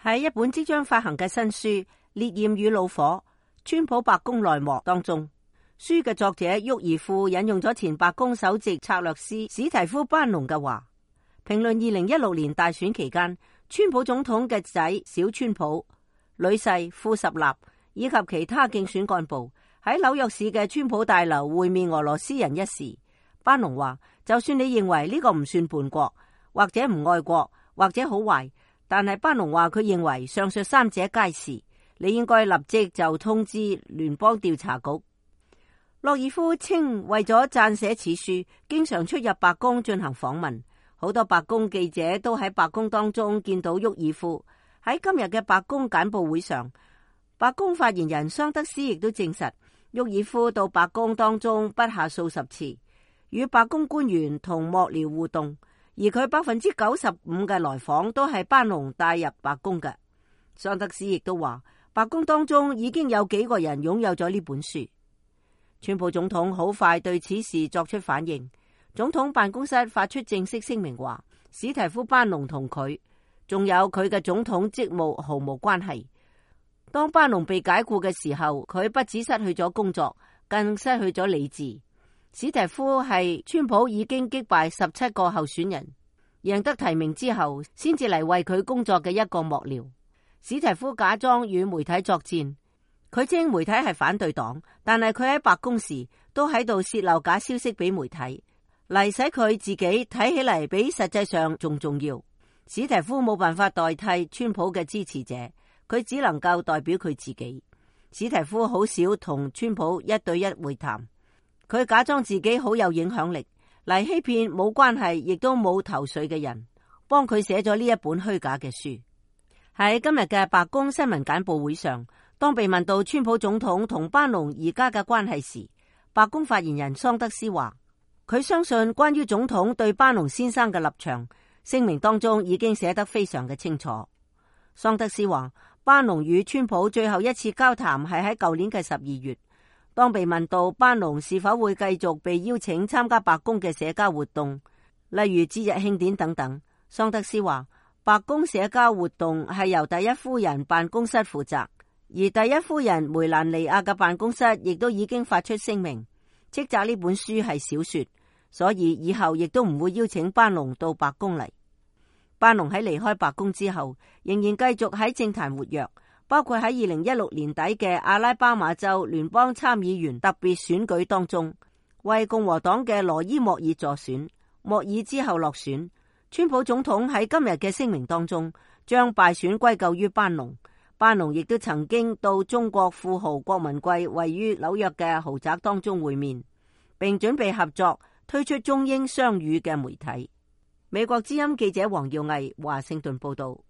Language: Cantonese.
喺一本即將發行嘅新書《烈焰與怒火：川普白宮內幕》當中，書嘅作者沃爾夫引用咗前白宮首席策略師史提夫班農嘅話，評論2016年大選期間，川普總統嘅仔小川普、女婿庫什納以及其他競選幹部喺紐約市嘅川普大樓會面俄羅斯人一事。班農話，就算你認為呢個唔算叛國，或者唔愛國，或者好壞，但係班農話佢認為上述三者皆是，你應該立即就通知聯邦調查局。洛爾夫稱，為咗撰寫此書，經常出入白宮進行訪問，好多白宮記者都喺白宮當中見到沃爾夫。喺今日嘅白宮簡報會上，白宮發言人桑德斯亦都證實，沃爾夫到白宮當中不下數十次，與白宮官員同幕僚互動，而佢95%嘅來訪都係班農帶入白宮嘅。桑德斯亦都話，白宮當中已經有幾個人擁有咗呢本書。川普總統好快對此事作出反應，總統辦公室發出正式聲明話，史提夫班農同佢仲有佢嘅總統職務毫無關係。當班農被解雇嘅時候，佢不止失去咗工作，更失去咗理智。史提夫係川普已經擊敗17個候選人，贏得提名之後，先至嚟為佢工作嘅一個幕僚。史提夫假裝與媒體作戰，佢稱媒體係反對黨，但係佢喺白宮時都喺度洩漏假消息俾媒體，嚟使佢自己睇起嚟比實際上仲重要。史提夫冇辦法代替川普嘅支持者，佢只能夠代表佢自己。史提夫好少同川普一對一會談，佢假裝自己好有影響力，嚟欺騙冇關係亦都冇頭緒嘅人，幫佢寫咗呢一本虛假嘅書。喺今日嘅白宮新聞簡報會上，當被問到川普總統同班農而家嘅關係時，白宮發言人桑德斯話，佢相信關於總統對班農先生嘅立場，聲明當中已經寫得非常嘅清楚。桑德斯話，班農與川普最後一次交談係喺舊年嘅12月。當被問到班農是否會繼續被邀請參加白宮嘅社交活動，例如節日慶典等等，桑德斯話，白宮社交活動係由第一夫人辦公室負責，而第一夫人梅蘭妮亞嘅辦公室亦都已經發出聲明，斥責呢本書係小說，所以以後亦都唔會邀請班農到白宮嚟。班農喺離開白宮之後，仍然繼續喺政壇活躍，包括喺2016年底嘅阿拉巴馬州聯邦參議員特別選舉當中，為共和黨嘅羅伊莫爾助選，莫爾之後落選。川普總統喺今日嘅聲明當中，將敗選歸咎於班農。班農亦都曾經到中國富豪郭文貴位於紐約嘅豪宅當中會面，並準備合作推出中英雙語嘅媒體。美國之音記者黃耀毅華盛頓報道。